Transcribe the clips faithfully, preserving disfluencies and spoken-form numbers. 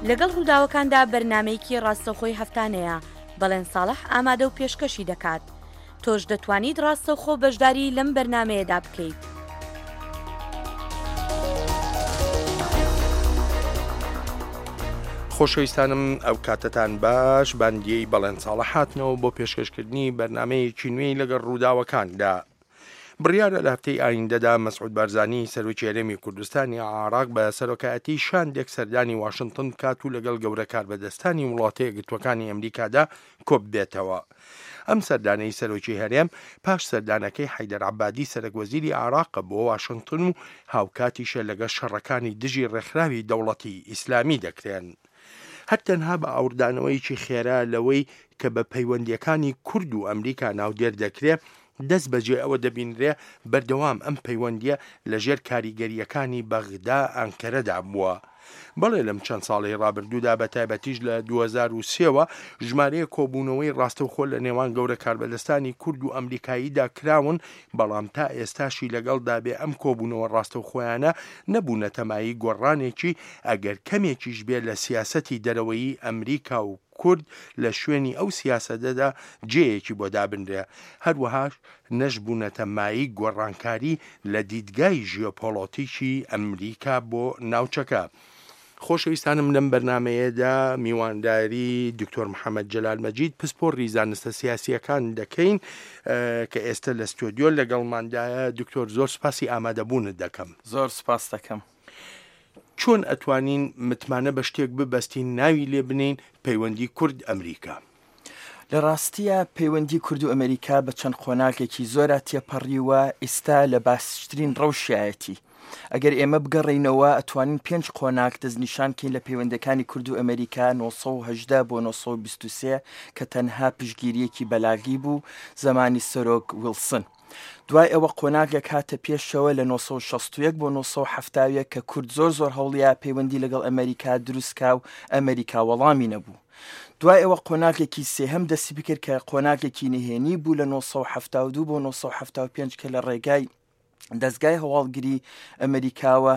لەگەڵ ڕووداوەکاندا بەرنامەیەکی ڕاستەوخۆی هەفتانەیە، بەڵێن ساڵح ئامادە و پێشکەشی دەکات. تۆش دەتوانیت ڕاستەوخۆ بەشداری لەم بەرنامەیەدا بکەیت. خۆشەویستانم ئەو کاتەتان باش، باندیەی بەڵێن ساڵح هاتنەوە بۆ پێشکەشکردنی بەرنامەیەکی نوێی لەگەڵ ڕووداوەکاندا. بڕیارە لە هەفتەی ئایندەدا مەسعود بارزانی سەرۆکی هەرێمی کوردستانی عراق بە سەرۆکایەتی شاندێک سەردانی واشنگتن بکات و لەگەڵ گەورە کاربەدەستانی وڵاتە یەکگرتووەکانی ئەمریکادا کۆببێتەوە. ئەم سەردانەی سەرۆکی هەرێم پاش سەردانەکەی حەیدەر عەبادی سەرەک وەزیری عراقە بۆ واشنگتن و هاوکاتیشە لەگەڵ شەڕەکانی دژی ڕێکخراوی دەوڵەتی ئیسلامی دەکرێن. هەر تەنها بە ئاوردانەوەیەکی خێرا لەوەی کە بە پەیوەندیەکانی کورد و ئەمریکا ناودێر دەکرێ، دەست بەجێ ئەوە دەبینرێ بەردەوام ئەم پەیوەندیە لەژێر کاریگەریەکانی بەغدا ئەنکەرەدا بووە. بەڵێ لەم چەند ساڵەی ڕابردوودا بە تایبەتیش لە دوو هەزار و سێ وە ژمارەیە کۆبوونەوەی ڕاستەوخۆ لە نێوان گەورە کاربەدەستانی کورد و ئەمریکاییدا کراون، بەڵام تا ئێستاشی لەگەڵدا بێ ئەم کۆبوونەوە ڕاستەوخۆیانە نەبوونەتە مایەی گۆڕانێکی ئەگەر کەمێکیش بێ لە سیاسەتی دەرەوەیی ئەمریکا و کورد لە شوێنی ئەو سیاسەتەدا جێیەکی بۆ دابنرێ، هەروەهاش نەشبوونەتە مایەی گۆڕانکاری لە دیدگای ژیۆپۆڵۆتیکی ئەمریکا بۆ ناوچەکە. خۆشەویستانم لەم بەرنمەیەدا میوانداری دکتۆر محەممەد جەلال مەجید پسپۆڕی زانستە سیاسیەکان دەکەین کە ئێستا لە ستۆدیۆ لەگەڵماندایە. دکتۆر زۆر سوپاسی ئامادەبوونت دەکەم. زۆر سوپاس دەکەم. چۆن ئەتوانین متمانە بە شتێک ببەستین ناوی لێ بنین پەیوەندی کورد ئەمریکا؟ لە ڕاستیە پەیوەندی کورد و ئەمریکا بە چەند قۆناغێکی زۆرا تێپەڕیوە، ئێستا لە باشترین ڕەوشیایەتی. ئەگەر ئێمە بگەڕێینەوە ئەتوانین پێنج قۆناغ دەستنیشانکەین لە پەیوەندەکانی کورد و ئەمریکا نۆ سەد و هەژدە بۆ نۆ سەد و بیست و سێ کە تەنها پشتگیریەکی بەلاغی بوو زەمانی سەرۆک ویلسن. دوای ئەوە قۆناغێک هاتە پێشەوە لە نۆ سەد و شەست و یەک بۆ نۆ سەد و حەفتا و یەک کە کورد زۆر زۆر هەوڵیا پەیوەندی لەگەڵ ئەمریکا دروستکا و ئەمریکا وەڵامی نەبوو. دوای ئەوە قۆناغێکی سێهەم دەستی بکرد کە قۆناغێکی نهێنی بوو لە نۆ سەد و حەفتا و دوو بۆ نۆ سەد و حەفتا و پێنج کە لە ڕێگای دەستگای هەواڵگری ئەمریکاوە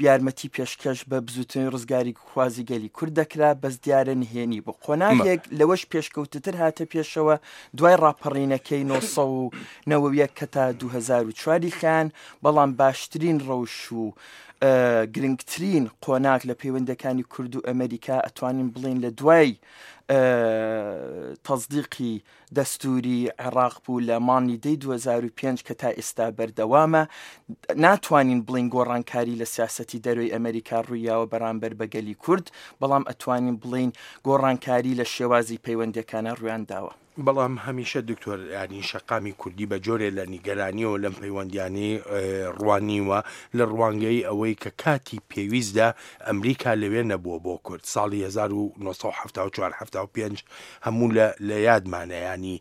یارمەتی پێشکەش بە بزوتنەوەی ڕزگاری خوازی گەلی کورد دەکرا، بەس دیارە نهێنی بوو. قۆناغێک لەوەش پێشکەوتتر هاتە پێشەوە دوای ڕاپەڕینەکەی نۆ سەد و نەوەد و یەک کە تا دوو هەزار و چواری خیان، بەڵام باشترین ڕەوش و گرنگترین قۆناغ لە پەیوەندەکانی کورد و ئەمریکا ئەتوانین بڵین لە دوای تەصدیقی دەستوری عێراق بوو لە مانگی دەی دوو هەزار و پێنج کە تا ئێستا بەردەوامە. ناتوانین بڵین گۆڕانکاری لە سیاسەتی دەرەوەی ئەمریکا ڕوویاوە بەرامبەر بە گەلی کورد، بەڵام ئەتوانین بڵین گۆڕانکاری لە شێوازی پەیوەندەکانە ڕویان داوە. بەڵام هەمیشە دکتۆر ینی شەقامی کوردی بە جۆرێ لە نیگەرانیەوە لەم پەیوەندیانی ڕوانیوە لە ڕوانگەی ئەوەی کە کاتی پێویستدا ئەمریکا لەوێ نەبووە بۆ کورد. ساڵی هەزار و نۆ سەد و حەفتا و چوار حەفتا و پێنج هەموو لە یادمانە، ینی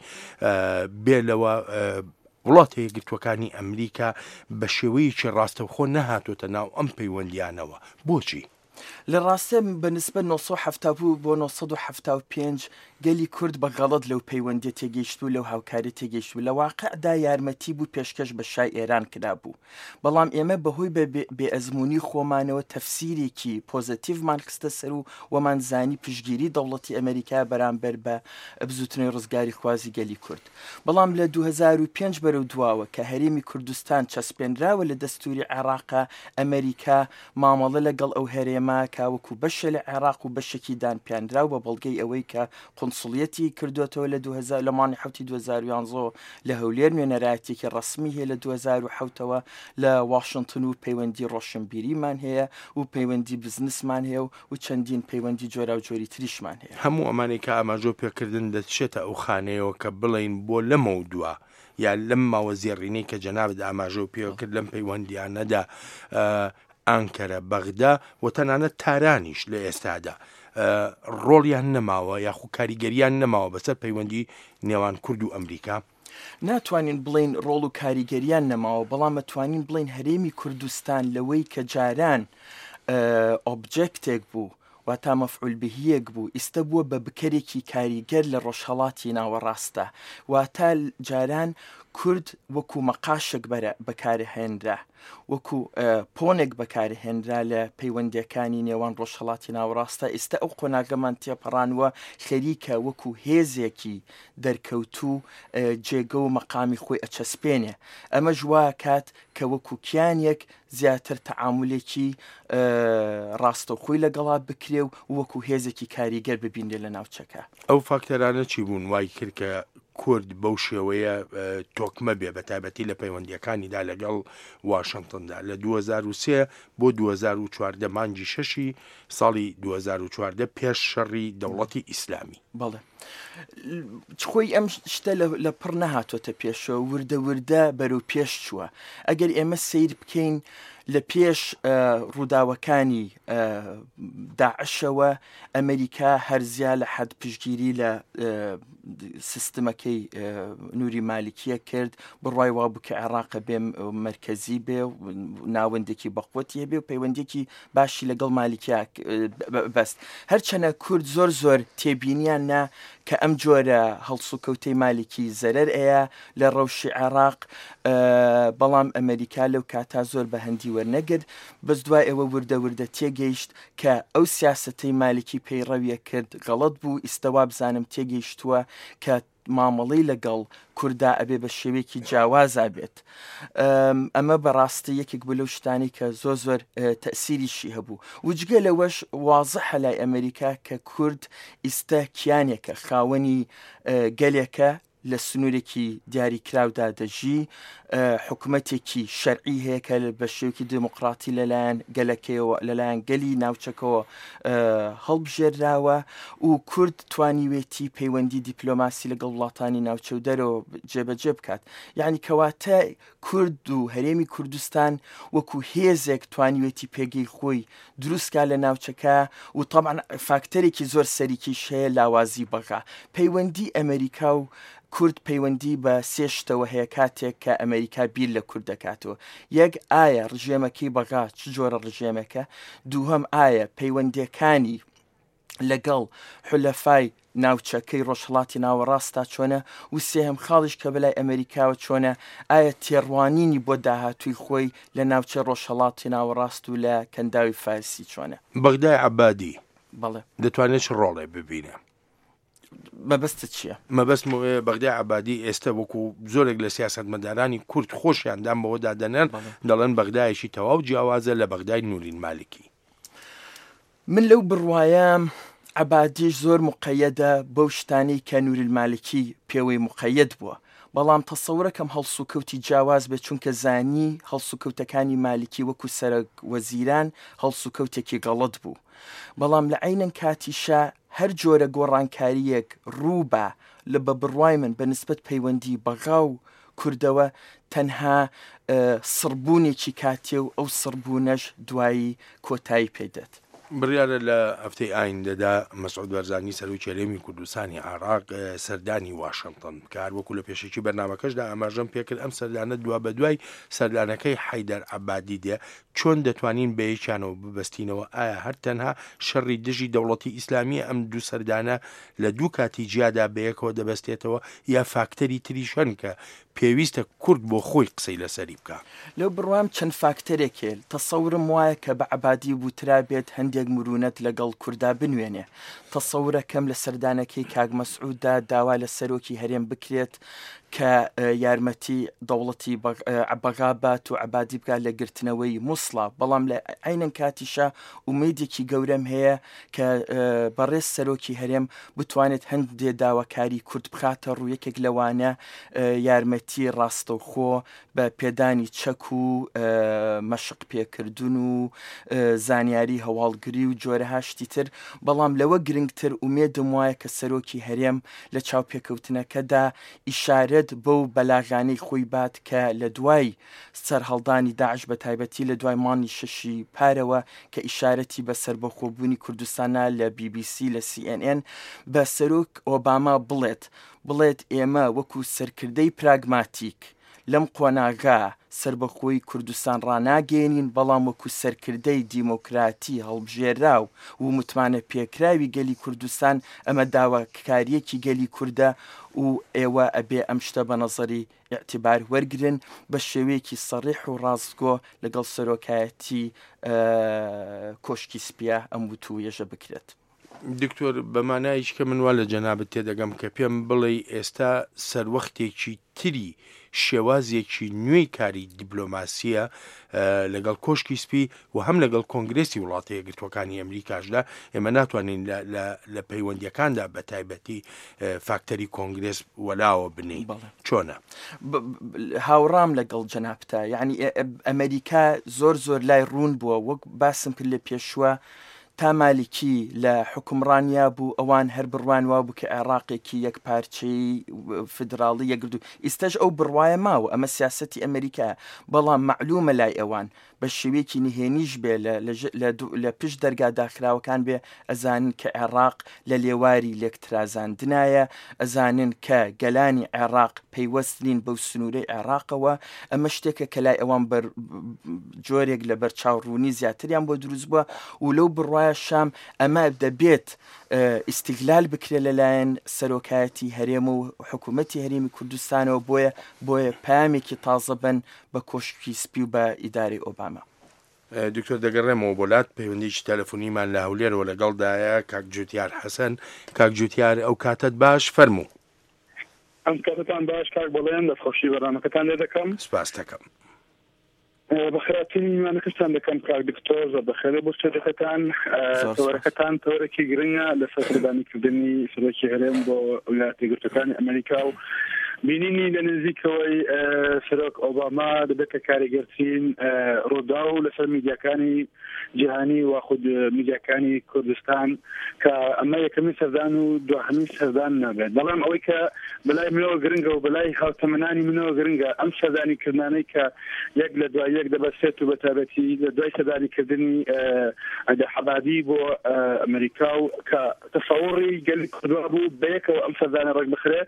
بێ لەوە وڵاتە یەکگرتووەکانی ئەمریکا بە شێوەیەکی ڕاستەوخۆ نەهاتۆتە ناو ئەم پەیوەندیانەوە. بۆچی؟ لە ڕاستە بە نسبەت نۆ سەد و حەفتا بوو بۆ نۆ سەد و حەفتا و پێنج گەلی کورد بە غەڵەت لەو پەیوەندیە تێگەیشت و لەو هاوکاری تێگەیشت و لە واقعدا یارمەتی بوو پێشکەش بە شای ئێران کرا بوو. بەڵام ئێمە بەهۆی بێئەزمموی خۆمانەوە تەفسیرێکی پۆزیتیڤمان خستە سەر و وەمان زانی پشتگیری دەوڵەتی ئەمریکا بەرامبەر بە بزوتنەوەی ڕزگاری خوازی گەلی کورد. بەڵام لە دوو هەزار و پێنج بەرەو دواوە کە هەرێمی کوردستان چەسپێنراوە لە دەستوری عێراقا، ئەمریکا مامەڵە لەگەڵ ئەو هەرێمە کە وەکو بەشە لە عێراق و بەشێکی دانپیانراو بە بەڵگەی ئەوەی کە قونسڵیەتی کردوێتەوە لە دوو هەزار لە مانگی حەوتی دوو هەزار و یانزە لە هەولێر نوێنەرایەتێکی ڕەسمی هەیە لە دوو هەزار و حەوتەوە لە واشنگتن و پەیوەندی ڕۆشنبیریمان هەیە و پەیوەندی بزنسمان هەیە و چەندین پەیوەندی جۆراوجۆری تریشمان هەیە. هەموو ئەمانەی کە ئاماژۆ پێکردن دەچێتە ئەو خانەیەوە کە بڵین بۆ لەمەو دووە یا لەم ماوە زێڕینەی کە جەنابت ئاماژۆ پێکرد لەم پەیوەندیانەدا ئانکەرە، بەغدا و تەنانەت تارانیش لە ئێستادا ڕۆڵیان نەماوە یاخو کاریگەریان نەماوە بەسەر پەیوەندی نێوان کورد و ئەمریکا؟ ناتوانین بڵین ڕۆڵ و کاریگەریان نەماوە، بەڵام ئەتوانین بڵین هەرێمی کوردستان لەوەی کە جاران ئۆبجێکتێک بوو، واتا مەفعول بهیەک بوو، ئێستا بووە بە بکەرێکی کاریگەر لە ڕۆژهەڵاتی ناوەڕاستە. واتا جاران کورد وەکو مەقاشێک بەکارهێنرا، وەکو پۆنێک بەکارهێنرا لە پەیوەندیەکانی نێوان ڕۆژهەڵاتی ناوەڕاستە. ئێستا ئەو قۆناغەمان تێپەڕانوە، خەریکە وەکو هێزێکی دەرکەوتوو جێگە و مەقامی خۆی ئەچەسپێنێ. ئەمەش وا کات کە وەکو کیانێک زیاتر تەعامولێکی ڕاستەوخۆی لەگەڵا بکرێ و وەکو هێزێکی کاریگەر ببینرێ لە ناوچەکە. ئەو فاکتەرانە چی بوون وای کرد کە کورد بەو شێوەیە تۆکمە بێ، بە تایبەتی لە پەیوەندیەکانیدا لەگەڵ واشنگتندا لە دوو هەزار و سێ بۆ دوو هەزار و چواردە مانگی شەشی ساڵی دوو هەزار و چواردە پێش شەڕی دەوڵەتی ئیسلامی؟ بەڵێ، خۆی ئەم شتە لە پڕ نەهاتۆتە پێشەوە، وردە وردە بەرەو پێش چووە. ئەگەر ئێمە سەیر بکەین لە پێش ڕووداوەکانی داعشەوە، ئەمریکا هەرزیا لە حەد پشتگیری لە سیستمەکەی نوری مالکیە کرد، بڕوای وا بوو کە عێراق بێ مەرکەزی بێ و ناوەندێکی بەقوەتی هەبێ و پەیوەندێکی باشی لەگەڵ مالکیا بەست. هەرچەنە کورد زۆر زۆر تێبینیان نا کە ئەم جۆرە هەڵسوکەوتەی مالکی زەرەر ئەیە لە ڕەوشی عێراق، بەڵام ئەمریکا لەو کاتا زۆر بە هەندی وەرنەگرت. بەس دوای ئەوە وردە وردە تێگەیشت کە ئەو سیاسەتەی مالکی پەیڕەویە کرد غەڵەت بوو. ئیستا وابزانم تێگەیشتووە کە مامەڵەی لەگەڵ کووردا ئەبێ بە شێوەیەکی جیاوازا بێت. ئەمە بەڕاستی یەکێک بوو لەو شتانی کە زۆر زۆر تەسیریشی هەبوو. وجگە لەوەش وازحە لای ئەمریکا کە کورد ئیستا کیانێکە، خاوەنی گەلێکە لە سنوورێکی دیاریکراودا دەژی، حکوومەتێکی شەرعی هەیە کە بە شێوەیەکی دێموکراتی لەلایەن گەلەکەیەوە، لەلایەن گەلی ناوچەکەوە هەڵبژێراوە و کورد توانیوێتی پەیوەندی دیپلۆماسی لەگەڵ وڵاتانی ناوچە و دەرەوە جێبەجێ بکات. یعنی کەواتە کورد و هەرێمی کوردستان وەکو هێزێک توانیوێتی پێگەی خۆی دروستکا لە ناوچەکە و طبعا فاکتەرێکی زۆر سەرەکیش هەیە لاوازی بەغا. پەیوەندی ئەمریکا و کورد پەیوەندی بە سێ شتەوە هەیە کاتێک کە ئەمریکا بیر لە کورد دەکاتەوە. یەک، ئایا ڕژێمەکەی بەغا چ جۆرە ڕژێمێکە؟ دووهەم، ئایا پەیوەندیەکانی لەگەڵ حولەفای ناوچەکەی ڕۆژهەڵاتی ناوەڕاستا چۆنە؟ و سێهەم خاڵیش کە بەلای ئەمریکاوە چۆنە، ئایا تێڕوانینی بۆ داهاتووی خۆی لە ناوچەی ڕۆژهەڵاتی ناوەڕاست و لە کەنداوی فارسی چۆنە؟ بەغدای عەبادی بەڵێ دەتوانێت چ ڕۆڵێ ببینە؟ مەبەستت چییە؟ مەبەستم بەغدای عەبادی ئێستا وەکو زۆرێک لە سیاسەتمەدارانی کورد خۆشیان دام بەوەدا دەنێن، دەڵێن بەغدایەکی تەواو جیاوازە لە بەغدای نورین مالکی. من لەو بڕوایەم عەبادیش زۆر مقەیەدە بەو شتانەی کە نورین مالکی پێوەی مقەیەد بووە، بەڵام تەسەورەکەم هەڵسوکەوتی جیاواز بێت، چونکە زانی هەڵسوکەوتەکانی مالکی وەکو سەرەک وەزیران هەڵسوکەوتێکی غەڵەت بوو. بەڵام لە عینەن کاتیشا هەر جۆرە گۆڕانکاریەک ڕووبا لە بە بڕوای من بە نسبەت پەیوەندی بەغا و کوردەوە تەنها سڕبوونێکی کاتێ و ئەو سڕبوونەش دوایی کۆتایی پێدێت. بڕیارە لە هەفتەی ئایندەدا مەسعود بەرزانی سەرۆکی هەرێمی کوردستانی عێراق سەردانی واشنگتن بکات. وەکو لە پێشێکی بەرنامەکەشدا ئاماژەم پێکرد، ئەم سەردانە دوا بە دوای سەردانەکەی حەیدەر عەبادی دێ. چۆن دەتوانین بە یەکیانەوە ببەستینەوە؟ ئایا هەر تەنها شەڕی دژی دەوڵەتی ئیسلامیە ئەم دوو سەردانە لە دوو کاتی جیادا بەیەکەوە دەبەستێتەوە، یا فاکتەری تریش هەن کە پێویستە کورد بۆ خۆی قسەی لەسەری بکە؟ لەو بڕوام چەند فاکتەرێکێ. تەسەورم وایە کە بە عەبادی بوترا بێت هەندێک مرونەت لەگەڵ کووردا بنوێنێ. تەسەورەکەم لە سەردانەکەی کاک مەسعوددا داوا لە سەرۆکی هەرێم بکرێت کە یارمەتی دەوڵەتی بەغا بات و عەبادی بکات لە گرتنەوەی موسڵا. بەڵام لە عینەن کاتیشا ئومێدێکی گەورەم هەیە کە بەڕێز سەرۆکی هەرێم بتوانێت هەندێک داواکاری کورد بخاتە ڕوو، یەکێک لەوانە یارمەتی ڕاستەوخۆ بە پێدانی چەک و مەشق پێکردن و زانیاری هەواڵگری و جۆرەها شتی تر. بەڵام لەوە گرنگتر ئومێدم وایە کە سەرۆکی هەرێم لە چاوپێکەوتنەکەدا ئیشارەت بەو بەلاغانەی خۆی بات کە لە دوای سەرهەڵدانی داعش بە تایبەتی لە دوای مانگی شەشی پارەوە کە ئیشارەتی بە سەربەخۆبوونی کوردستانە لە بی بی سی لە سی ئێن ئێن بە سەرۆک ئۆباما بڵێت بڵێت ئێمە وەکو سەرکردەی پراگماتیک لەم قۆناغا سەربەخۆی کوردستان ڕاناگەیەنین، بەڵام وەکو سەرکردەی دیموکراتی هەڵبژێراو و متمانە پێکراوی گەلی کوردستان ئەمە داواکاریەکی گەلی کوردە و ئێوە ئەبێ ئەم شتە بە نەزەری ئیعتیبار وەرگرن بە شێوەیەکی سەریح و ڕاستگۆ لەگەڵ سەرۆکایەتی کۆشکی سپیە ئەم وتووێژە بکرێت. دکتۆر، بەمانایش کە من وا لە جەنابت تێدەگەم کە پێم بڵێ ئێستا سەروەختێکی تری شێوازێکی نوێی کاری دیپلۆماسیە لەگەڵ کۆشکی سپی و هەم لەگەڵ کۆنگرێسی وڵاتە یەکگرتووەکانی ئەمریکاشدا ئێمە ناتوانین لە پەیوەندیەکاندا بە تایبەتی فاکتەری کۆنگرێس وەلاوە بنین. چۆنە؟ هاوڕام لەگەڵ جەنابتا، یعنی ئەمریکا زۆر زۆر لای ڕوون بووە، وەک باسم کرد لە پێشوە تا مالکی لە حکومڕانیا بوو ئەوان هەر بڕوان وا بوو کە عێراقێکی یەک پارچەی فیدراڵی یەکگرتوو، ئێستاش ئەو بڕوایە ماوە، ئەمە سیاسەتی ئەمریکا، بەڵام مەعلومە لای ئەوان بە شێوەیەکی نهێنیش بێ لە پشت دەرگا داخراوەکان بێ ئەزانن کە عێراق لە لێواری لێکترازاندنایە، ئەزانن کە گەلانی عێراق پەیوەست نین بەو سنوورەی عێراقەوە. ئەمە شتێکە کە لای ئەوان بەر جۆرێک لە بەرچاوڕوونی زیاتریان بۆ دروست بووە و لەو بڕوایە شام ئەمە دەبێت ئیستیغلال بکرێت لەلایەن سەرۆکایەتی هەرێم و حکوومەتی هەرێمی کوردستانەوە، بۆیە بۆیە پامێکی تازە بن بە کۆشکی سپی و بە ئیدارەی ئۆباما. دکتۆر دەگەڕێمەوە بۆ لات، پەیوەندیی تەلەفۆنیمان لە هەولێرەوە لەگەڵدایە کاک جوتیار حەسەن. کاک جوتیار، ئەو کاتت باش، فەرموو. ئەم کاتتان باش کاک بەڵێن، دەستخۆشی بەرنامەکەتان لێ دەکەم. سپاس دەکەم. بەخێراتنی میوانەکەشتان دەکەم کاک دکتۆر، زۆر بەخێرێ بۆ شتێکەکەتان. تەوەرەکەتان تەوەرێکی گرنگە لەسەر سەردانیکردنی سەرۆکی هەرێم بۆ ویلایەتە یەکگرتووەکانی ئەمریکا و بینینی لە نزیکەوەی سەرۆک ئۆباما دەبێتە کاریگەرترین ڕووداو لەسەر میدیاکانی جیهانی و خود میدیاکانی کوردستان کە ئەمە یەکەمین سەردان و دوهەمین سەردان نابێت. بەڵام ئەوەی کە بەلای منەوە گرنگە و بەلای هاوتەمەنانی منەوە گرنگە ئەم سەردانیکردنانەی کە یەک لە دوای یەک دەبەستێت و بە تایبەتی لە دوای سەردانیکردنی عەبادی بۆ ئەمریکا و کە تەسەوڕی گەلی کوردوا بوو بەیەکەوە ئەم سەردانە ڕێک بخرێ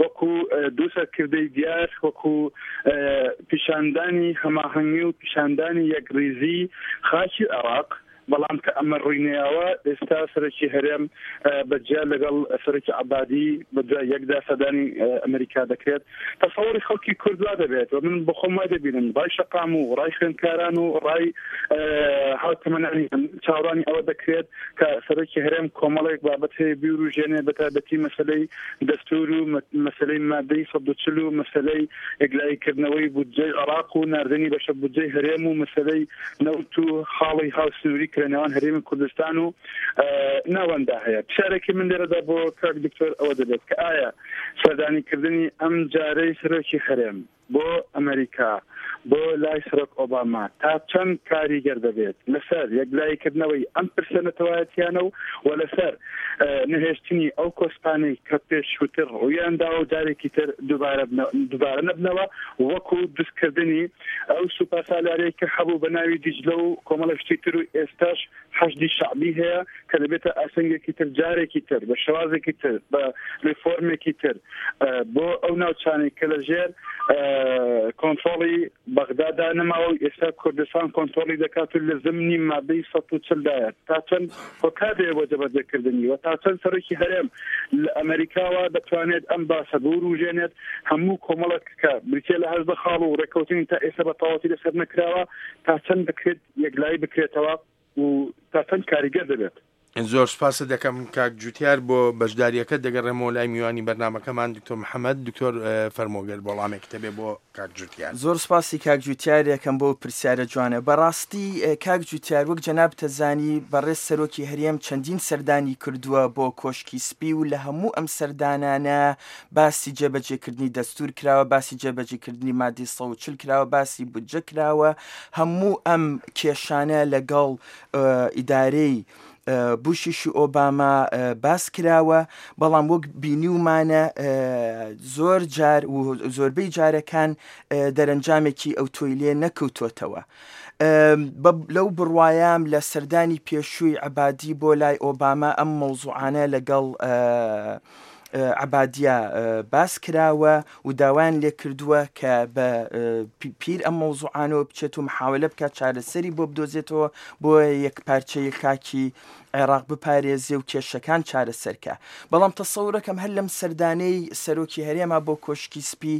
وەکو دوو سەرکردەی دیار، وەکو پیشاندانی هەماهەنگی و پیشاندانی یەکڕیزی خاکی عێراق. بەڵام کە ئەمە ڕووینەیەوە ئێستا سەرۆکی هەرێم بەجیا لەگەڵ سەرۆکی عەبادی بە دوای یەکدا سەردانی ئەمریکا دەکرێت. تەسەوڕی خەڵکی کورد وا دەبێت و من بەخۆم وای دەبینم ڕای شەقام و ڕای خوێندکاران و ڕای هاوتەمەنانی چاوەڕوانی ئەوە دەکرێت کە سەرۆکی هەرێم کۆمەڵێک بابەت هەیە بیوروژێنێ، بە تایبەتی مەسەلەی دەستور و مەسەلەی مادەی سەد و چل و مەسەلەی یەکلاییکردنەوەی بودجەی عێراق و ناردنی بەشە بودجەی هەرێم و مەسەلەی نەوت و خاڵی هاوسنووری لە نێوان هەرێمی کوردستان و ناوەندا هەیە. پرسیارێکی من لێرەدا بۆ کاک دکتۆر ئەوە دەبێت کە ئایا سەردانیکردنی ئەم جارەی سەرۆکی هەرێم بۆ ئەمریکا بۆ لای سەرۆک ئۆباما تا چەند کاریگەر دەبێت لەسەر یەکلاییکردنەوەی ئەم پرسە نەتەوایەتیانە و و لەسەر نەهێشتنی ئەو کۆسپانەی کە پێشووتر ڕوویان داوە و جارێکی تر دووبارە نەبنەوە، وەکو دروستکردنی ئەو سوپاسالارەی کە هەبوو بە ناوی دیجلە و کۆمەڵە شتی تر و ئێستاش حەشدی شەعبی هەیە کە دەبێتە ئاسەنگێکی تر جارێکی تر بە شێوازێکی تر بە ریفۆرمێکی تر بۆ ئەو ناوچانەی کە لەژێر کۆنترۆڵی بەغدادا نەماوە و ئێستا کوردستان کۆنترۆڵی دەکات و لە زمنی مادەی سەد و چل دایە. تا چەند هۆکار هەیە بۆ جێبەجێکردنی و تا چەند سەرۆکی هەرێم لە ئەمریکاوە دەتوانێت ئەم باسە بوروژێنێت هەموو کۆمەڵێک کە بریتیە لە هەژدە خاڵ و ڕێککەوتنی تا ئێستا بە تەواوەتی لەسەر نەکراوە، تا چەند دەکرێت یەکلایی بکرێتەوە و تا چەند کاریگەر دەبێت. زۆر سپاست دەکەم کاک جوتیار بۆ بەشداریەکە. دەگەڕێمەوە لای میوانی بەرنامەکەمان دکتۆر محەممەد. دکتۆر فەرمۆگەر وەڵامێک تەبێ بۆ کاک جوتیار. زۆر سپاسی کاک جوتیار یەکەم بۆ پرسیارە جوانە. بەڕاستی کاک جوتیار وەک جەناب تەزانی بەڕێز سەرۆکی هەرێم چەندین سەردانی کردووە بۆ کۆشکی سپی و لە هەموو ئەم سەردانانە باسی جێبەجێکردنی دەستور کراوە، باسی جێبەجێکردنی مادەی سەد و چل کراوە، باسی بودجە کراوە. هەموو ئەم کێشانە لەگەڵ ئیدارەی بوشیش ئۆباما باس کراوە، بەڵام وەک بینیومانە زۆر جار و زۆربەی جارەکان دەرەنجامێکی ئەوتۆی لێ نەکەوتۆتەوە. لەو بڕوایام لە سەردانی پێشووی عەبادی بۆ لای ئۆباما ئەم مەوزوعانە لەگەڵ عەبادیە باس کراوە و داوایان لێکردووە کە بە پیر ئەم مەوزوعانەوە بچێت و محاولە بکات چارەسەری بۆ بدۆزێتەوە بۆ یەک پارچەی خاکی عێراق بپارێزێ و کێشەکان چارەسەرکە. بەڵام تەسەورەکەم هەر لەم سەردانەی سەرۆکی هەرێما بۆ کۆشکی سپی،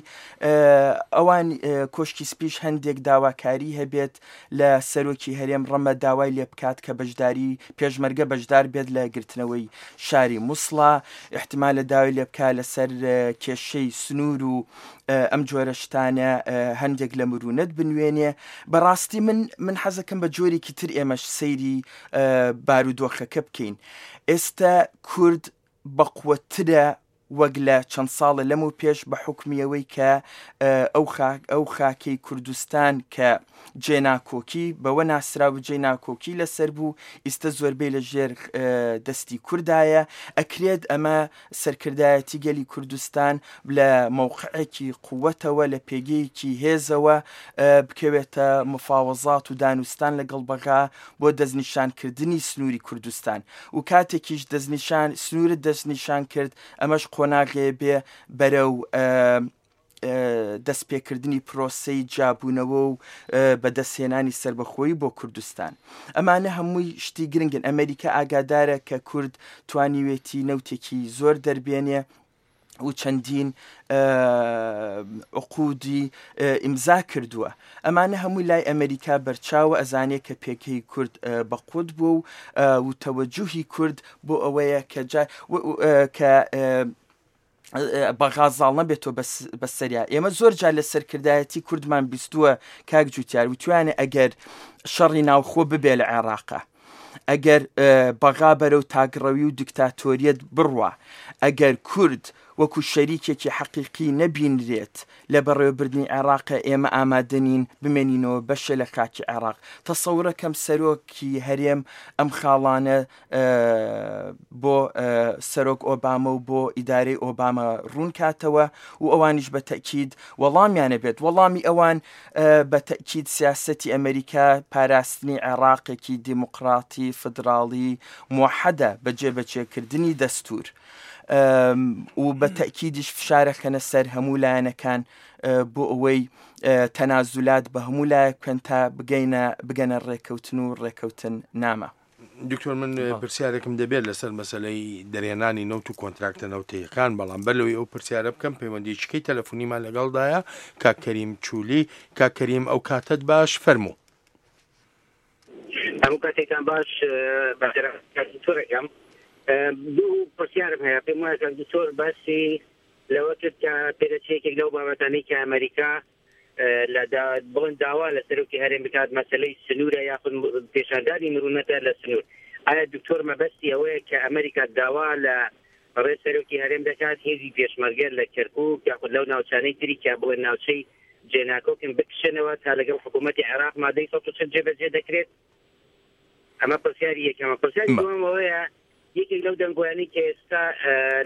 ئەوان کۆشکی سپیش هەندێک داواکاری هەبێت لە سەرۆکی هەرێم، ڕەمە داوای لێ بکات کە بەشداری پێشمەرگە بەشدار بێت لە گرتنەوەی شاری موسڵا، احتمالە داوای لێ بکات لەسەر کێشەی سنوور و ئەم جۆرە شتانە هەندێک لە مرونەت بنوێنێ. بەڕاستی من من حەزەکەم بە جۆرێکی تر ئێمەش سەیری بارودۆخەکە بکەین. ئێستا کورد بەقوەترە وەک لە چەند ساڵە لەم و پێش بە حکمیەوەی کە ئەو خاک ئەو خاکەی کوردستان کە جێناکۆکی بەوە ناسرا و جێناکۆکی لەسەر بوو، ئێستا زۆربەی لە ژێر دەستی کوردایە. ئەکرێت ئەمە سەرکردایەتی گەلی کوردستان لە مەوقعێکی قووەتەوە لە پێگەیەکی هێزەوە بکەوێتە مفاوەزات و دانوستان لەگەڵ بەغا بۆ دەستنیشانکردنی سنووری کوردستان و کاتێکیش دەستنیشان سنوورت دەستنیشان کرد ئەمەش قۆناغێ بێ بەرەو دەستپێکردنی پرۆسەی جیابوونەوە و بەدەستهێنانی سەربەخۆیی بۆ کوردستان. ئەمانە هەمووی شتی گرنگن. ئەمریکا ئاگادارە کە کورد توانیوێتی نەوتێکی زۆر دەربێنێ و چەندین عقودی ئیمزا کردووە. ئەمانە هەمووی لای ئەمریکا بەرچاوە، ئەزانێ کە پێکەی کورد بەقوت بوو و تەوەجوهی کورد بۆ ئەوەیە کە کە بەغا زاڵ نەبێتەوە بەسەریا. ئێمە زۆر جار لە سەرکردایەتی کوردمان بیستووە کاک جوتیار وتوانێ ئەگەر شەڕی ناوخۆ ببێ لە عێراقا، ئەگەر بەغا بەرەو تاگڕەوی و دیکتاتۆریەت بڕوا، ئەگەر کورد وەکو شەریکێکی حەقیقی نەبینرێت لە بەڕێوەبردنی عێراق، ئێمە ئامادەنین بمێنینەوە بەشێ لە خاکی عێراق. تەسەورەکەم سەرۆکی هەرێم ئەم خاڵانە بۆ سەرۆک ئۆباما و بۆ ئیدارەی ئۆباما ڕوون کاتەوە و ئەوانیش بە تەکید وەڵامیانە بێت. وەڵامی ئەوان بە تەکید سیاسەتی ئەمریکا پاراستنی عێراقێکی دیموکراتی فدراڵی موحەدە بە جێبەجێکردنی دەستور و بە تەکیدیش فشارەکەنە سەر هەموو لایەنەکان بۆ ئەوەی تەنازولات بە هەموو لایەک بکەن تا بگەینە بگەنە ڕێکەوتن و ڕێکەوتن نامە. دکتۆر، من پرسیارێکم دەبێت لەسەر مەسلەی دەرێنانی نەوت و کۆنتراکتە نەوتەیەکان، بەڵام بەر لەوەی ئەو پرسیارە بکەم پەیوەندیچکەی تەلەفۆنیمان لەگەڵدایە کاک کەریم چولی. کاک کەریم، ئەو کاتت باش، فەرموو. هەموو کاتێکتان باش. دکتۆرەکەم دوو پرسیارم هەیە. پێم وایە کاک دکتۆر باسی لەوە کرد کە پێدەچێت یەکێک لەو بابەتانەی کە ئەمریکا لە بڵند داوا لە سەرۆکی هەرێم بکات مەسلەی سنوورە یاخود پێشاندانی مرونەتە لە سنوور. ئایا دکتۆر مەبەستی ئەوەیە کە ئەمریکا داوا لە ڕێ سەرۆکی هەرێم دەکات هێزی پێشمەرگە لە کەرکووک یاخود لەو ناوچانەی تری کە بڵێن ناوچەی جێناکۆکن بکشێنەوە تا لەگەڵ حکوومەتی عێراق مادەی سەد و چل جێبەجێ دەکرێت؟ ئەمە پرسیاری یەکەمە. پرسیاری دووەم ئەوەیە یەکێک لەو دەنگۆیانەی کە ئێستا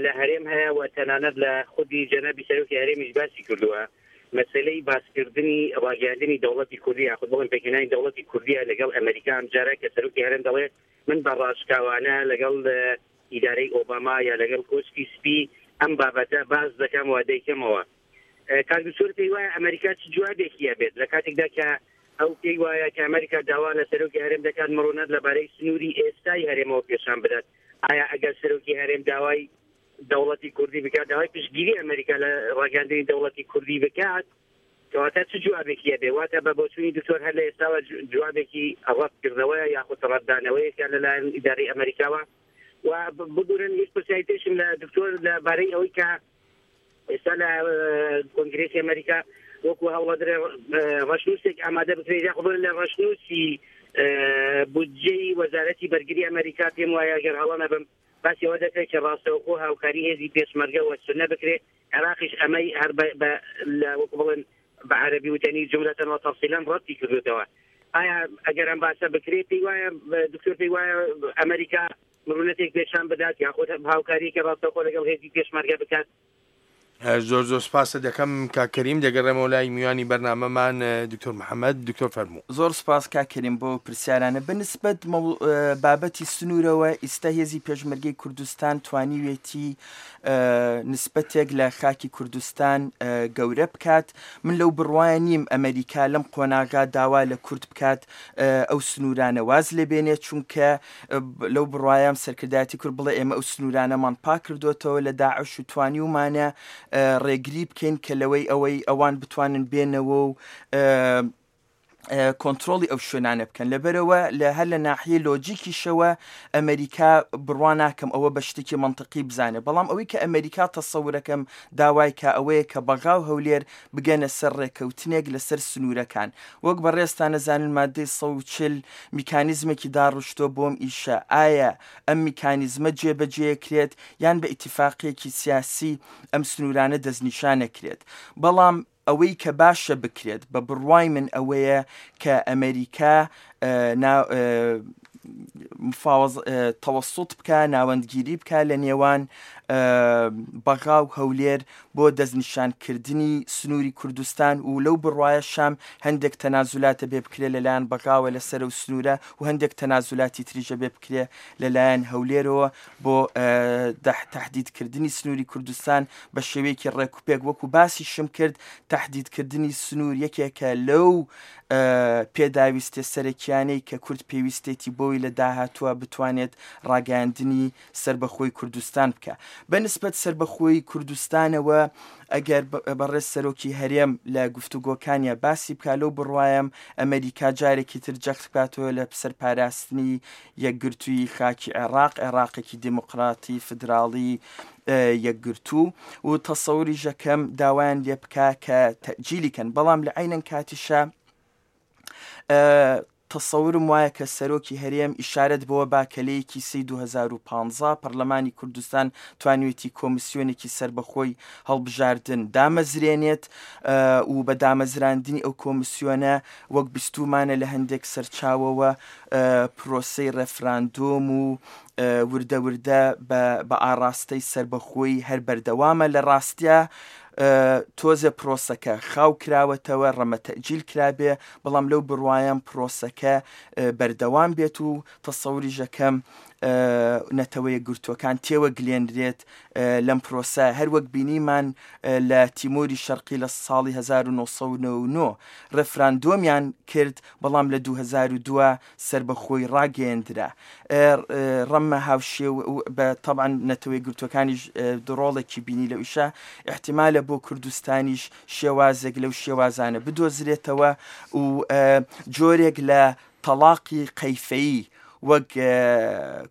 لە هەرێم هەیە و تەنانەت لە خودی جەنابی سەرۆکی هەرێمیش باسی کردووە، مەسلەی باسکردنی ڕاگەیاندنی دەوڵەتی کوردی یاخود بڵێن پێکهێنانی دەوڵەتی کوردیە لەگەڵ ئەمریکا. ئەم جارە کە سەرۆکی هەرێم دەڵێ من بە ڕاشکاوانە لەگەڵ ئیدارەی ئۆباما یا لەگەڵ کۆشکی سپی ئەم بابەتە باس دەکەم و دەیکەمەوە. کاک دکتۆر پێی وایە ئەمریکا چ جوابێکی هەبێت لە کاتێکدا کە ئەو پێی وایە کە ئەمریکا داوا لە سەرۆکی هەرێم دەکات مڕونەت لەبارەی سنووری ئێستای هەرێمەوە پێشان بدات؟ ئایا ئەگەر سەرۆکی هەرێم داوای دەوڵەتی کوردی بکات، داوای پشتگیری ئەمریکا لە ڕاگەیاندنی دەوڵەتی کوردی بکات، کەواتە چ جوابێکی هەبێ؟ واتە بە بۆچوونی دکتۆر هەر لە ئێستاوە جوابێکی ڕەتکردنەوەیە یاخود ڕەتدانەوەیەکە لەلایەن ئیدارەی ئەمریکاوە؟ و ببورن هیچ پرسیاری تریشم لە دکتۆر لەبارەی ئەوەی کە ئێستا لە کۆنگرێسی ئەمریکا وەکو هەوڵەدرێ ڕەشنووسێک ئامادە بکرێت یاخود لە ڕەشنووسی بودجەی وەزارەتی بەرگری ئەمریکا، پێم وایە ئەگەر هەڵە نەبم باسی ئەوە دەکرێت کە ڕاستەوخۆ هاوکاری هێزی پێشمەرگە وە سونە بکرێت. عێراقیش ئەمەی هەر وەکو بڵێن بە عەرەبی وتەنی جملەتەن و تەفسیلەن ڕەتی کردوێتەوە. ئایا ئەگەر ئەم باسە بکرێت پێی وایە دکتۆر پێی وایە ئەمریکا مرونەتێک پێشان بدات یاخود هاوکاریەکی ڕاستەوخۆ لەگەڵ هێزی پێشمەرگە بکات؟ زۆر زۆر سپاست دەکەم کاک کەریم. دەگەڕێمەوە لای میوانی بەرنامەمان دکتۆر محەممەد. دکتۆر فەرموو. زۆر سپاس کاک کەریم بۆ پرسیارانە. بەنسبەت بابەتی سنوورەوە، ئیستا هێزی پێشمەرگەی کوردستان توانیوێتی نسبەتێک لە خاکی کوردستان گەورە بکات. من لەو بڕوایە نیم ئەمریکا لەم قۆناغا داوا لە کورد بکات ئەو سنوورانە واز لێبێنێت، چونکە لەو بڕوایم سەرکردایەتی کورد بڵێ ئێمە ئەو سنوورانەمان پاک کردوێتەوە لە داعش و توانیومانە ڕێگری بکەین کە لەوەی ئەوەی ئەوان بتوانن بێنەوە و کۆنترۆڵی ئەو شوێنانە بکەن. لەبەرەوە لە هەر لە ناحیە لۆجیکیشەوە ئەمریکا بڕوا ناکەم ئەوە بە شتێکی منطقی بزانێ، بەڵام ئەوەی کە ئەمریکا تەسەورەکەم داوای کە ئەوەیە کە بەغا و هەولێر بگەنە سەر ڕێکەوتنێک لەسەر سنوورەکان. وەک بەڕێزتان نەزانن مادەی سەد و چل میکانیزمێکی داڕشتۆ بۆم ئیشە، ئایا ئەم میکانیزمە جێبەجێکرێت یان بە ئیتفاقیەکی سیاسی ئەم سنوورانە دەستنیشانەکرێت؟ بەڵام ئەوەی کە باشە بکرێت بە بڕوای من ئەوەیە کە ئەمریکا تەوەسوط بکە، ناوەندگیری بکە لە نێوان بەغا و هەولێر بۆ دەستنیشانکردنی سنووری کوردستان و لەو بڕوایە شام هەندێک تەنازولاتە بێ بکرێت لەلایەن بەغاوە لەسەر و سنوورە و هەندێک تەنازولاتی تریژە بێ بکرێت لەلایەن هەولێرەوە بۆ تهدیدکردنی سنووری کوردستان بە شێوەیەکی ڕێکوپێک. وەکو باسیشم کرد تهدیدکردنی سنوور یەکێکە لەو پێداویستە سەرەکیانەی کە کورد پێویستێتی بۆی لە داهاتووە بتوانێت ڕاگەیاندنی سربەخۆی کوردستان بکە. بەنسبەت سربەخۆی کوردستانەوە ئەگەر بەڕێز سەرۆکی هەرێم لە گفتوگۆکانیا باسی بکە، لەو بڕوایم ئەمریکا جارێکی تر جەخت بکاتەوە لە سەرپاراستنی یەکگرتووی خاکی عێراق، عێراقێکی دیموکراتی فیدراڵی یەکگرتوو و تەسەوری ژەکەم داوایان لێ بکە کە تەجیلی کەن. بەڵام لە عینەن کاتیشە تەسەورم وایە کە سەرۆکی هەرێم ئیشارەت بەوە با کە لە یەکی سێی دوو هەزار و پانزە پەرلەمانی کوردستان توانیوێتی کۆمیسیۆنێکی سەربەخۆی هەڵبژاردن دامەزرێنێت و بە دامەزراندنی ئەو کۆمیسیۆنە وەک بیستومانە لە هەندێک سەرچاوەوە پرۆسەی ڕێفراندۆم و وردە وردە بە ئاراستەی سەربەخۆی هەر بەردەوامە. لە ڕاستیە تۆزێ پرۆسەکە خاو کراوەتەوە، ڕەمە تەجیل کرابێ، بەڵام لەو بڕوایم پرۆسەکە بەردەوام بێت و تەسەوری ژەکەم نەتەوە یەکگرتووەکان تێوە گلێنرێت لەم پرۆسە. هەروەک بینیمان لە تیمۆری شەرقی لە ساڵی هەزار و نۆ سەد و نەوەد و نۆ ڕێفراندۆمیان کرد، بەڵام لە دوو هەزار و دوو سربەخۆی ڕاگەیەندرا. ڕەمە هاوشێ بە تەبعاً نەتەوە یەکگرتووەکانیش ڕۆڵێکی بینی لەو ئیشە، احتیمالە بۆ کوردستانیش شێوازێک لەو شێوازانە بدۆزرێتەوە و جۆرێک لە تەلاقی قەیفەیی وەک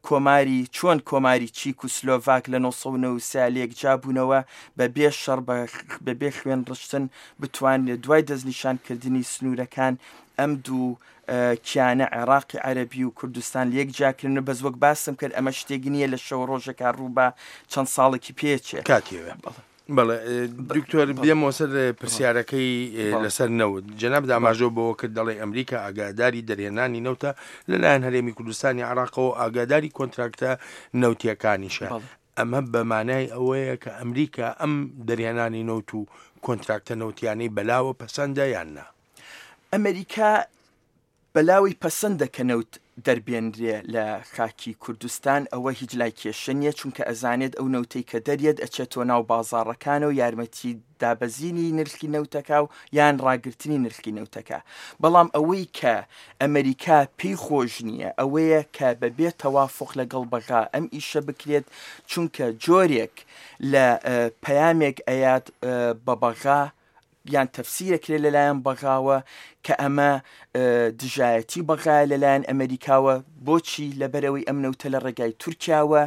کۆماری چۆن کۆماری چیک و سلۆڤاک لە نۆ سەد و نەوەد و سێ لێکجا بوونەوە بە بێ شەڕ بە بێ خوێن ڕشتن بتوانێت دوای دەستنیشانکردنی سنوورەکان ئەم دوو کیانە عێراقی عەرەبی و کوردستان لێکجاکردن. بەس وەک باسم کرد ئەمە شتێک نییە لە شەو ڕۆژێکا ڕوو بە چەند ساڵێکی پێچێ. کاتیەوە. بەڵێ دکتۆر، بێمەوە سەر پرسیارەکەی لەسەر نەوت. جەناب ئاماژە بەوە کرد دەڵێ ئەمریکا ئاگاداری دەرهێنانی نەوتە لەلایەن هەرێمی کوردستانی عێراقەوە، ئاگاداری کۆنتراکتە نەوتیەکانیشە. ئەمە بەمانای ئەوەیە کە ئەمریکا ئەم دەرهێنانی نەوت و کۆنتراکتە نەوتیانەی بەلاوە پەسەندە یان نا؟ ئەمریکا بەلاوی پەسەندە کە نەوت دەربێنرێ لە خاکی کوردستان، ئەوە هیچ لای کێشە نییە، چونکە ئەزانێت ئەو نەوتەی کە دەرێت ئەچێتەوە ناو بازاڕەکانە و یارمەتی دابەزینی نرخی نەوتەکە و یان ڕاگرتنی نرخی نەوتەکە. بەڵام ئەوەی کە ئەمریکا پێی خۆش نییە ئەوەیە کە بەبێ تەوافق لەگەڵ بەغا ئەم ئیشە بکرێت، چونکە جۆرێک لە پەیامێک ئەیات بە بەغا یان تەفسیرەکرێت لەلایەن بەغاوە کە ئەمە دژایەتی بەغایە لەلایەن ئەمریکاوە. بۆچی؟ لەبەرەوەی ئەم نەوتە لە ڕێگای تورکیاوە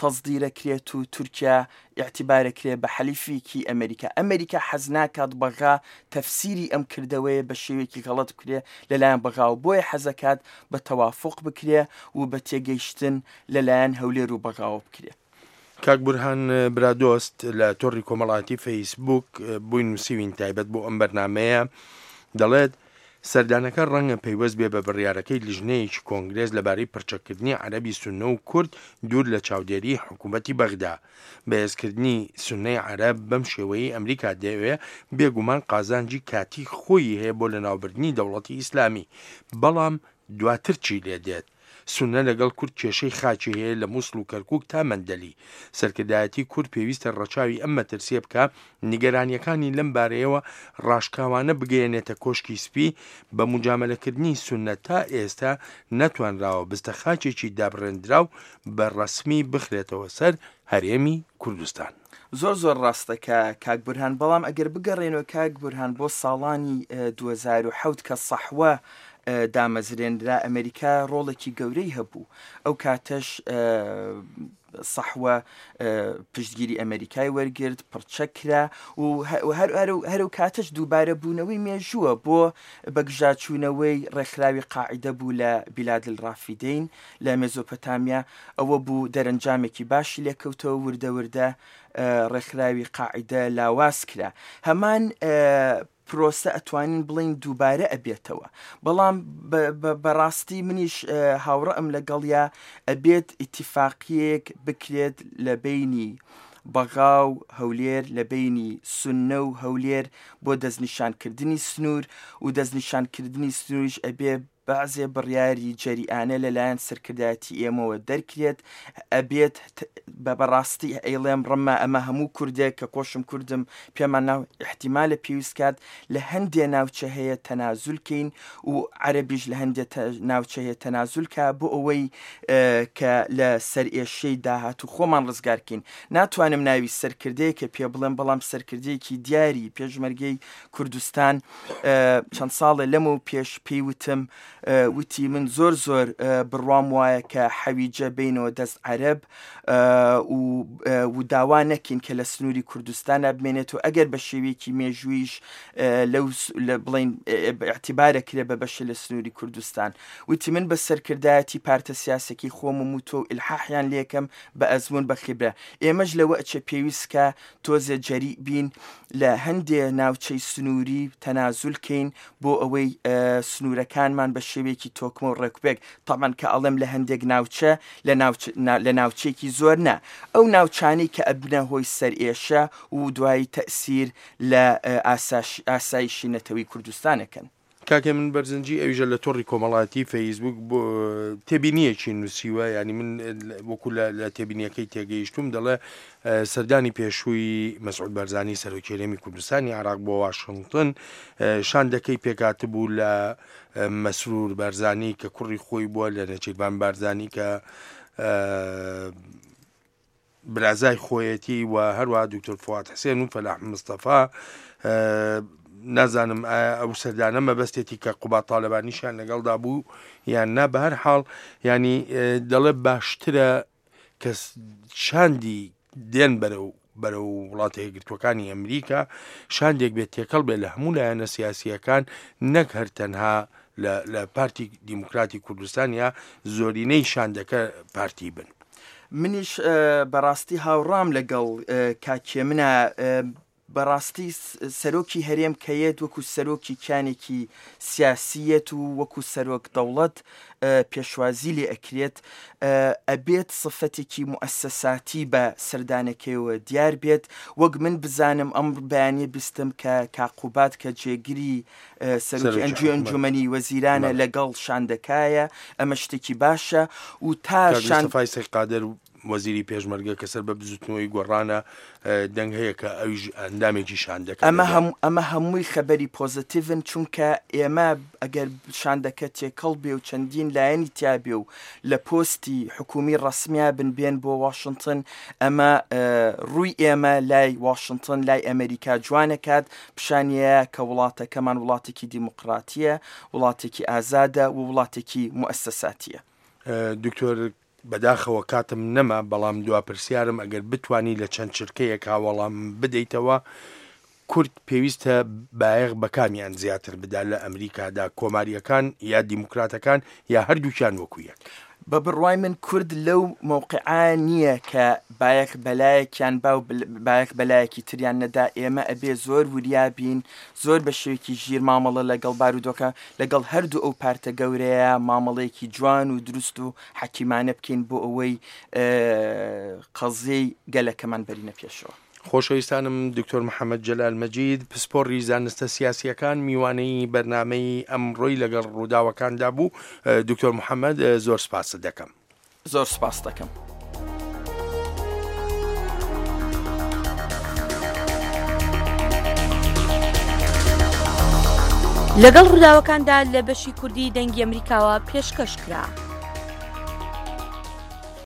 تەزدیرەکرێت و تورکیا اعتبارەکرێت بە حەلیفێکی ئەمریکا. ئەمریکا حەز ناکات بەغا تەفسیری ئەم کردەوەیە بە شێوەیەکی غەڵەت بکرێت لەلایەن بەغاوە، بۆیە حەزەکات بە تەوافق بکرێ و بە تێگەیشتن لەلایەن هەولێر و بەغاوە بکرێت. کاک بورهان برادۆست لە تۆڕی کۆمەڵاتی فەیسبوک بووی نووسیوین تایبەت بۆ ئەم بەرنمەیە دەڵێت سەردانەکە ڕەنگە پەیوەست بێ بە بڕیارەکەی لیژنەیەکی کۆنگرێس لەبارەی پرچەکردنی عەرەبی سوننە و کورد دوور لە چاودێری حکوومەتی بەغدا. بەهێزکردنی سوننەی عەرەب بەم شێوەیەی ئەمریکا دەیەوێ بێگومان قازانجی کاتی خۆی هەیە بۆ لەناوبردنی دەوڵەتی ئیسلامی، بەڵام دواتر چی لێ دێت؟ سوننە لەگەڵ کورد کێشەی خاکی هەیە لە موسڵ و کەرکوک تا مەندەلی. سەرکردایەتی کورد پێویستە ڕەچاوی ئەم مەترسیە بکا، نیگەرانیەکانی لەم بارەیەوە ڕاشکاوانە بگەیەنێتە کۆشکی سپی. بە موجامەلەکردنی سوننە تا ئێستا نەتوانراوە بستە خاکێکی دابڕێندراو بە ڕەسمی بخرێتەوە سەر هەرێمی کوردستان. زۆر زۆر ڕاستە کە کاک بورهان، بەڵام ئەگەر بگەڕێنەوە کاک بورهان بۆ ساڵانی دوو هەزار و حەوت کە سەحوە دامەزرێنرا، ئەمریکا ڕۆڵێکی گەورەی هەبوو. ئەو کاتەش سەحوە پشتگیری ئەمریکای وەرگرت، پڕچەک کرا و هەر و کاتەش دووبارە بوونەوەی مێژووە بۆ بەگژاچوونەوەی ڕێکخراوی قاعیدە بوو لە بیلاد الرافیدەین لە مێزۆپۆتامیا. ئەوە بوو دەرەنجامێکی باشی لێکەوتەوە، وردە وردە ڕێکخراوی قاعیدە لاواز کرا. هەمان پرۆسە ئەتوانین بڵین دووبارە ئەبێتەوە، بەڵام بەڕاستی منیش هاوڕەم لەگەڵیا ئەبێت ئیتیفاقیەک بکرێت لە بینی بەغا و هەولێر، لە بینی سوننە و هەولێر بۆ دەستنیشانکردنی سنوور، و دەستنیشانکردنی سنووریش ئەبێ بەعزێ بڕیاری جەریانە لەلایەن سەرکردایەتی ئێمەوە دەرکرێت. ئەبێت بە بەڕاستی ئەیڵێم ڕمە ئەمە هەموو کوردێک کە خۆشم کوردم پێمان ناو احتیمالە پێویست کات لە هەندێ ناوچە هەیە تەنازولکەین و عەرەبیش لە هەندێ ناوچە هەیە تەنازولکە بۆ ئەوەی کە لە سەرئێشەی داهاتوو خۆمان ڕزگارکەین. ناتوانم ناوی سەرکردەیە کە پێ بڵێم، بەڵام سەرکردەیەکی دیاری پێشمەرگەی کوردستان چەند ساڵێ لەمە پێش پێیوتم، وتی من زۆر زۆر بڕوام وایە کە حەویجە بینەوە دەست عەرەب و داوا نەکەین کە لە سنووری کوردستانە بمێنێت و ئەگەر بە شێوەیەکی مێژوویش لەو بڵین اعتیبارە کرێ بە بەشە لە سنووری کوردستان. وتی من بە سەرکردایەتی پارتە سیاسەکی خۆم و تۆ و ئیلحاحیان لێکەم بە ئەزمون بە خیبرە. ئێمەش لەوە ئەچێ پێویست کە تۆزێ جەری بین لە هەندێ ناوچەی سنووری تەنازولکەین بۆ ئەوەی سنوورەکانمان بە شێوەیەکی تۆکمە و ڕێکوپێک. تامان کە ئەڵێم لە هەندێک ناوچە لە ناوچێکی زۆر نا، ئەو ناوچانەی کە ئەبنە هۆی سەرئێشە و دوایی تەئسیر لە ئاسایشی نەتەوەی کوردستانەکەن. کاکە من بەرزنجی ئەویژە لە تۆڕی کۆمەڵاتی فەیسبوک بۆ تێبینیەکی نووسیوە، ینی من وەکو لە تێبینیەکەی تێگەیشتوم دەڵێ سەردانی پێشووی مەسعود بارزانی سەرۆکی هەرێمی کوردستانی عێراق بۆ واشنگتن شاندەکەی پێکهاتبوو لە مەسرور بارزانی کە کوڕی خۆی بووە، لە نێچیرڤان بارزانی کە برازای خۆیەتی و هەروەها دکتۆر فواد حسێن و فەلاح مستەفا. نازانم ئەو سەردانە مەبەستێتی کە قوباد تاالبانیشیان لەگەڵدا بوو یان نا. بە هەر حاڵ ینی دەڵێ باشترە کە شاندی دێن بەرەو بەرەو وڵاتە یەکگرتووەکانی ئەمریکا شاندێک بێت تێکەڵ بێت لە هەموو لایەنە سیاسیەکان، نەک هەر تەنها لە پارتی دیموکراتی کوردستان یا زۆرینەی شاندەکە پارتی بن. منیش بەڕاستی هاوڕام لەگەڵ کاکێمنە. بەڕاستی سەرۆکی هەرێم کەیەت وەکو سەرۆکی کیانێکی سیاسیەت و وەکو سەرۆک دەوڵەت پێشوازی لێ ئەکرێت، ئەبێت سفەتێکی موئەسەساتی بە سەردانەکەیەوە دیار بێت. وەک من بزانم ئەم بەیانیە بیستم کە کاقوبات کە جێگری سەرۆکی ئەنجومەنی وەزیرانە لەگەڵ شاندەکایە، ئەمە شتێکی باشە. و تا مستەفای سەید قادر وەزیری پێشمەرگە کە سەر بە بزوتنەوەی گۆڕانە دەنگ هەیە کە ئەویش ئەندامێکی شاندەکە. ئەمە هەمووی خەبەری پۆزیتیڤن، چونکە ئێمە ئەگەر شاندەکە تێکەڵ بێ و چەندین لایەنی تیابێ و لە پۆستی حکومی ڕەسمیا بن بێن بۆ واشنگتن، ئەمە ڕووی ئێمە لای واشنگتن لای ئەمریکا جوانەکات، پیشانیە کە وڵاتەکەمان وڵاتێکی دیموکراتیە، وڵاتێکی ئازادە و وڵاتێکی موئەسەساتیە. دکتۆر بەداخەوە کاتم نەما، بەڵام دوا پرسیارم ئەگەر بتانی لە چەند چرکەیەک هاوەڵام بدەیتەوە، کورد پێویستە بایەخ بەکامیان زیاتر بدا لە ئەمریکادا، کۆماریەکان یا دیموکراتەکان یا هەردووکیان وەکو یەک؟ بە بڕوای من کورد لەو مەوقعە نییە کە بایەخ بەلایەکیان با و بایەخ بەلایەکی تریان نەدا، ئێمە ئەبێ زۆر وریا بین، زۆر بە شێوەیەکی ژیر مامەڵە لەگەڵ بارودۆکە لەگەڵ هەردوو ئەو پارتە گەورەیە مامەڵەیەکی جوان و دروست و حەکیمانە بکەین بۆ ئەوەی قەزیەی گەلەکەمان بەرینە پێشەوە. خۆشەویستانم دکتۆر محەمەد جەلال مەجید پسپۆڕی زانستە سیاسییەکان میوانەی بەرنامەی ئەمڕۆی لەگەڵ ڕووداوەکاندا بوو. دکتۆر محەمەد زۆر سپاست دەکەم. زۆر سپاست دەکەم. لەگەڵ ڕووداوەکاندا لە بەشی کوردی دەنگی ئەمریکاوە پێشکەش کرا.